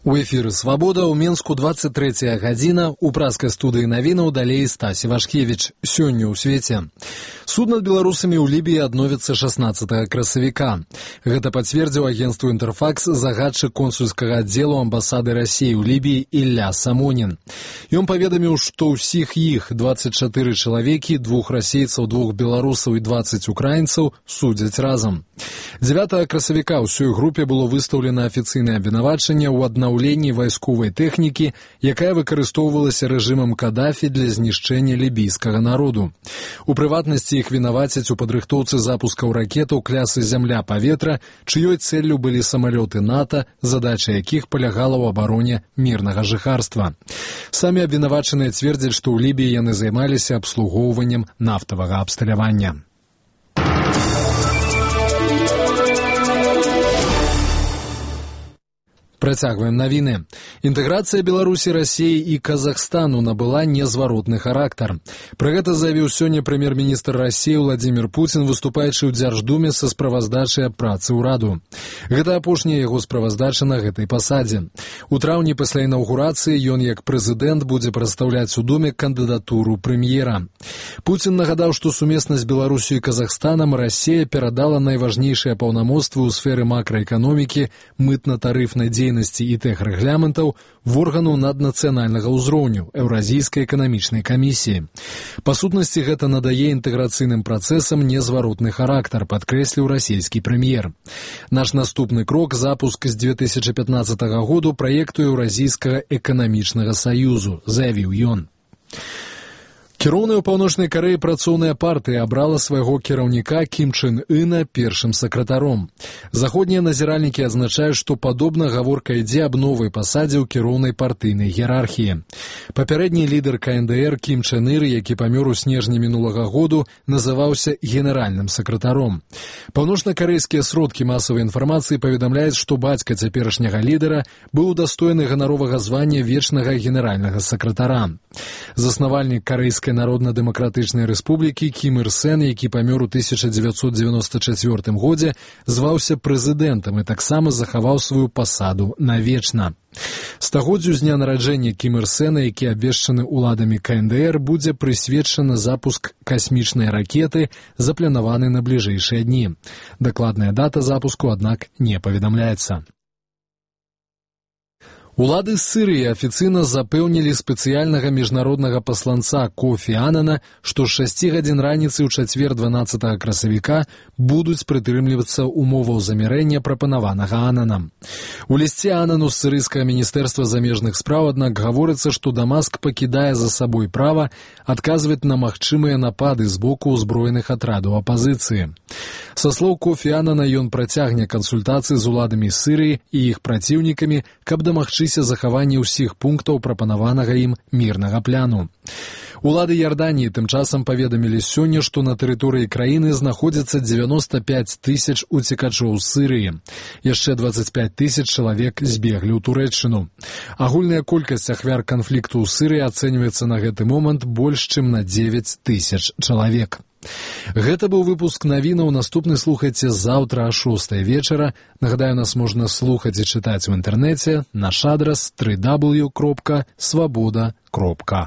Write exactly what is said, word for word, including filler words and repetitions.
У эфіры «Свабода» ў Менску двадцать трэцяя гадзіна, у праскай студыі навінаў далей Стась Івашкевіч. Сёння ў свеце. Суд над беларусамі ў Лібіі адновіцца шаснаццатага красавіка. Гэта пацвердзіў агенцтву «Інтэрфакс» загадчык консульскага аддзелу амбасады Расіі ў Лібіі Ілля Самонін. Ён паведаміў, што ўсіх іх двадцать чатыры чалавекі, двух расейцаў, двух беларусаў і дваццаць украінцаў судзяць разам. дзевятага красавіка ўсёй групе было выстаўлена афіцыйнае абвінавачанне ў аднаўленні вайсковай тэхнікі, якая выкарыстоўвалася рэжымам Кадафі для знішчэння лібійскага народу. У прыватнасці іх вінавацяць у падрыхтоўцы запускаў ракетаў клясы «Зямля-паветра», чыёй цэллю былі самалёты НАТО, задача якіх палягала ў абароне мірнага жыхарства. Самі абвінавачаныя цвердзяць, што ў Лібіі яны займаліся абслугоўваннем нафтавага абсталявання. Працягваем навіны. Інтэграцыя Беларусі, Расіі і Казахстану набыла незваротны характар. Пра гэта заявіў сёння прэм'ер-міністр Расіі Владзімір Пуцін, выступаючы ў Дзярждуме са справаздачай аб працы ўраду. Гэта апошняя яго справаздача на гэтай пасадзе. У траўні пасля інаўгурацыі ён як прэзідэнт будзе прадстаўляць у Думе кандыдатуру прэм'ера. Пуцін нагадаў, што сумесна з Беларусю і Казахстанам Расія перадала найважнейшыя паўнамоцтвы ў сферы макраэканомікі, мытна-тарыфнай дзейнасці і тэхрэгламентаў в органу наднацыянальнага ўзроўню Еўразійскай эканамічнай камісіі. Па сутнасці гэта надае інтэграцыйным працэсам незваротны характар, падкрэсліў расійскі прэм'ер. Наш наступны крок – запуск з две тысячы пятнаццатага году праекту Еўразійскага эканамічнага саюзу, заявіў ён. Кіроўная ў Паўночнай Карэі працоўная партыя абрала свайго кіраўніка Кім Чен Іна першым сакратаром. Заходнія назіральнікі адзначаюць, што падобна гаворка ідзе аб новай пасадзе ў кіроўнай партыйнай іерархіі. Папярэдні лідар ка эн дэ эр Кім Чен Ір, які памёр у снежні мінулага году, называўся генеральным сакратаром. Паўночна-карэйскія сродкі масавай інфармацыі паведамляюць, што бацька цяперашняга лідара быў удастойны ганаровага звання вечнага генеральнага сакратара. Заснавальнік Карэйскай Народна-дэмакратычнай рэспублікі Кім Ір Сен, які памёр у тысяча дзевяцьсот дзевяноста чацвёртым годзе, зваўся прэзідэнтам і таксама захаваў сваю пасаду навечна. Стагоддзю з дня нараджэння Кім Ір Сена, які абвешчаны ўладамі ка эн дэ эр, будзе прысвечаны запуск касмічнай ракеты, запланаваны на бліжэйшыя дні. Дакладная дата запуску, аднак, не паведамляецца. Улады Сірыі афіцыйна запэўнілі спецыяльнага міжнароднага пасланца Кофі Анана, што з шасці гадзін раніцы ў чацвер дванаццатага красавіка будуць прытрымлівацца умоваў замірэння, прапанаванага Ананам. У лісце Анану з сірыйскага міністэрства замежных спраў, аднак, гаворыцца, што Дамаск пакідае за сабой права адказваць на магчымыя напады з боку ўзброеных атрадаў апазіцыі. Са слоў Кофі Анана, ён працягне кансультацыі з уладамі Сірыі і іх праціўнікамі, каб дамагчыся захаванне ўсіх пунктаў прапанаванага ім мірнага пляну. Улады Ярданіі тым часам паведамілі сёння, што на тэрыторыі краіны знаходзіцца дзевяноста пяць тысяч уцекачоў з Сірыі. Яшчэ дваццаць пяць тысяч чалавек збеглі ў Турэччыну. Агульная колькасць ахвяр канфлікту ў Сірыі ацэньваецца на гэты момант больш чым на дзевяць тысяч чалавек. Гэта быў выпуск навінаў. Наступны слухайце заўтра о шостай вечара. Нагадаю, нас можна слухаць і чытаць у інтэрнэце. Наш адрас дабл ю дабл ю дабл ю кропка свабода кропка